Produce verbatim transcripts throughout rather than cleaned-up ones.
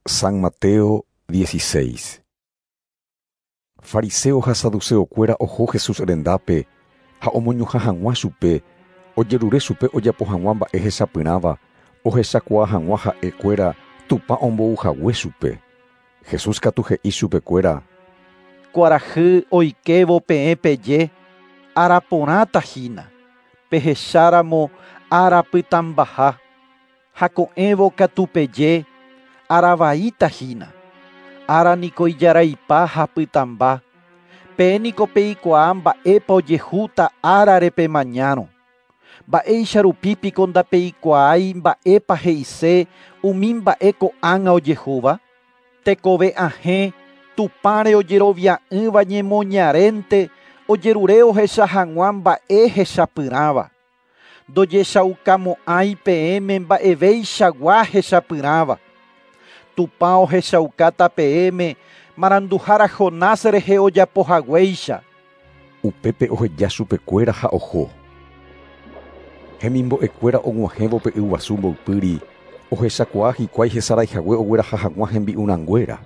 San Mateo dieciséis. Fariseo ha saduceokuéra oho Jesús rendápe ha omoñuhã hag̃ua chupe, ojerure chupe ojapo hag̃ua mba'e hechapyrãva, ohechakuaa hag̃ua ha'ekuéra Tupã ombouhague chupe. Jesús katu he'i chupekuéra: Kuarahy oikévo peẽ peje, araporãta hína, pehecháramo arapytãmbaha, ha ko'ẽvo katu peje, aravaíta hína, ára niko ijaraipa ha pytãmba, peẽ niko peikuaa mba'épa ojehúta árare pemañárõ. Mba'éicha rupi piko ndapeikuaái mba'épa he'ise umi mba'e ko'ág̃a ojehúva? Tekove ahẽ Tupãre ojerovia'ỹva ñemoñarénte ojerure ohecha hag̃ua mba'e hechapyrãva. Ndojechaukamo'ãi peẽme mba'eveichagua hechapyrãva. Tupã ohechaukáta peẽme maranduhára Jonás rehe ojapohaguéicha. Upépe oheja chupekuéra ha oho. Hemimbo'ekuéra og̃uahẽvo pe yguasu mboypýri, ohechakuaa hikuái hesaraihague ogueraha hag̃ua hembi'urãnguéra.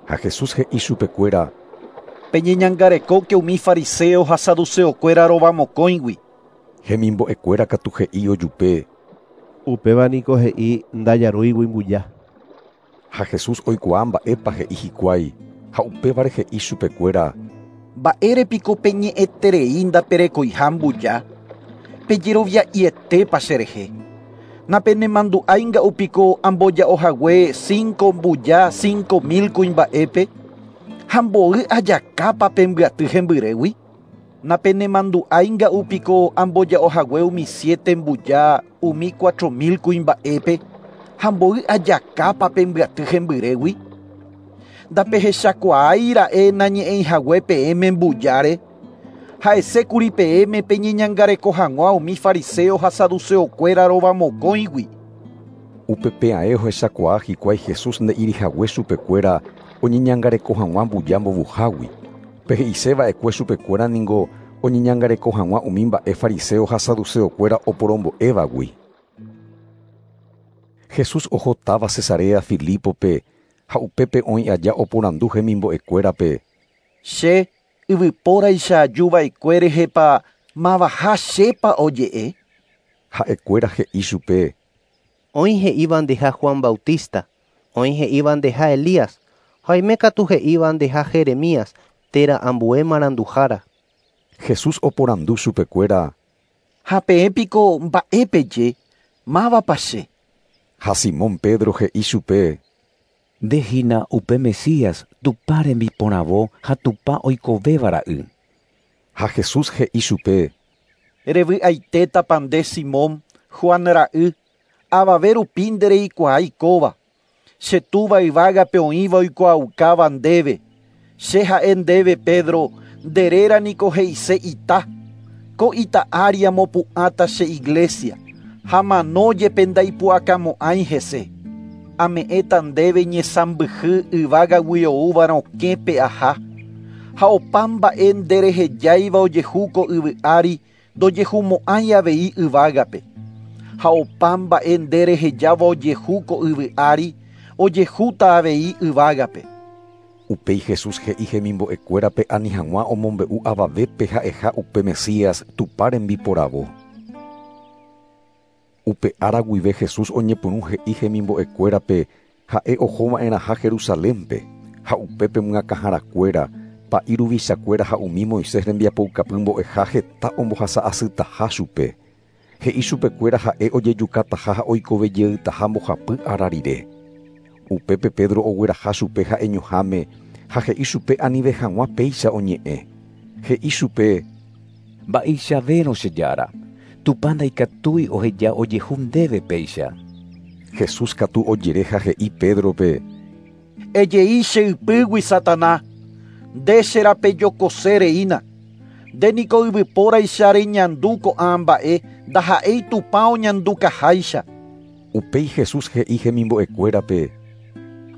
Ha Jesús he'i chupekuéra: Peñeñangarekóke umi fariseo ha saduceokuéra rovamokõigui. Hemimbo'ekuéra katu he'i ojupe: Upéva niko he'i ndajarúigui mbuja. Ha Jesús oikuaa mba'épa he'i hikuái, ha upévare he'i chupekuéra: Mba'érepiko peñe'ẽterei ndaperekoiha mbuja? Pejerovia'ietépa cherehe. Napenemandu'áinga'upiko amboja'ohague cinco mbuja cinco mil kuimba'épe ha mboy ajakápa pembyaty hembyrégui? Napenemandu'áinga'upiko amboja'ohague umi siete mbuja umi cuatro mil kuimba'épe ha mboy ajakápa pembyaty hembyrégui? Ndapehechakuaáira'e nañe'ẽihague peẽme mbujáre. Ha'esékuri peẽme peñeñangareko hag̃ua umi fariseo ha saduceokuéra rovamokõigui. Upepe'ae ohechakuaa hikuái Jesús nde'irihague chupekuéra oñeñangareko hag̃ua mbuja mbovuhágui. Pe he'iseva'ekue chupekuéra ningo oñeñangareko hag̃ua umi mba'e fariseo ha saduceokuéra oporombo'évagui. Jesús oho táva Cesarea Filipope ha upépe oĩ aja oporandu hemimbo'ekuérape: Che yvypóraicha ajuva'ekue rehepa mavaha chépa oje'e? Ha'ekuéra he'i chupe: Oĩ he'íva ndeha Juan Bautista, oĩ he'íva ndeha Elías, ha oime katu he'íva ndeha Jeremías térã ambue maranduhára. Jesús oporandu chupekuéra: Ha peẽ piko mba'e peje, mávapa che? Ha Simón Pedro he'i chupe: Nde hína upe Mesías Tupã rembiporãvo ha Tupã oikovéva ra'y. Ha Jesús he'i chupe: Revy'aitétapa nde Simón, Juan ra'y, avave rupi ndereikuaái kóva. Che túva yvágape oĩva oikuaaukáva ndéve. Che ha'e ndéve Pedro, nde réra niko he'ise ita. Ko ita ári amopu'ãta che iglesia, ha mano jepe ndaipu'akamo'ãi hese. Ame'ẽta ndéve ñesãmbyhy yvágagui oúva rokẽ pe'aha, ha opa mba'e nderehejáiva ojehu ko yvy ári ndojehumo'ãi avei yvágape. Ha opa mba'e nderehejáva ojehu ko yvy ári ojehúta avei yvágape. Upéi Jesús he'i hemimbo'ekuérape ani hag̃ua omombe'u avavépe ha'eha upe Mesías Tupã rembiporavo. Upe ára guive Jesús oñepyrũ he'i hemimbo'ekuérape ha'e ohova'erãha Jerusalénpe, ha upépe myakãharakuéra, pa'i ruvichakuéra ha umi Moisés rembiapoukapy mbo'eha heta ombohasa'asytaha chupe. He'i chupekuéra ha'e ojejukataha ha oikovejeytaha mbohapy ára rire. Upépe Pedro ogueraha chupe ha'eñoháme ha he'i chupe anive hag̃ua péicha oñe'ẽ. He'i chupe: Mba'eichavérõ che Jára, Tupã ndaikatúi oheja ojehu ndéve péicha. Jesús katu ojere ha he'i Pédrope: Ejei che ypýgui Satanás, nde cherapejokose reína. Nde niko yvypóraicha reñandu ko'ã mba'e ndaha'éi Tupã oñandukaháicha. Upéi Jesús he'i hemimbo'ekuérape: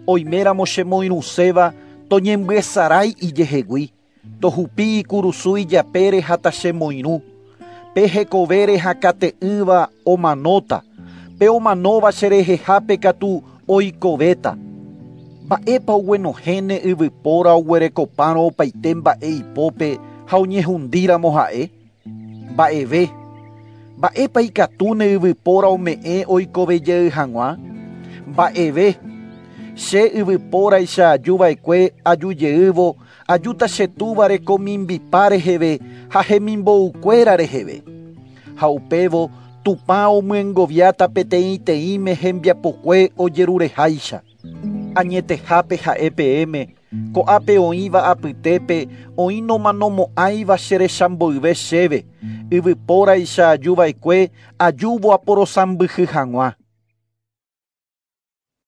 Oiméramo chemoirũséva toñembyesarái ijehegui, tohupi ikurusu ijapére ha tachemoirũ. Pe hekovére hakate'ỹva omanóta, pe omanóva cherehehápe katu oikovéta. Mba'épa oguenohẽne yvypóra oguerekopárõ opaite mba'e ipópe ha oñehundíramo ha'e? Mba'eve. Mba'épa ikatúne yvypóra ome'ẽ oikovejey hag̃ua? Mba'eve. Che yvypóraicha ajuva'ekue ajujeývo ajúta che túva rekomimbipa reheve ha hemimbo'ukuéra reheve. Ha upévo Tupã omyengoviáta peteĩteĩme hembiapokue ojerureháicha. Añetehápe ha'e peẽme, ko'ápe oĩva apytépe oĩ nomanomo'ãiva cherechamboyve chéve, yvypóraicha ajuva'ekue ajúvo aporosãmbyhy hag̃ua.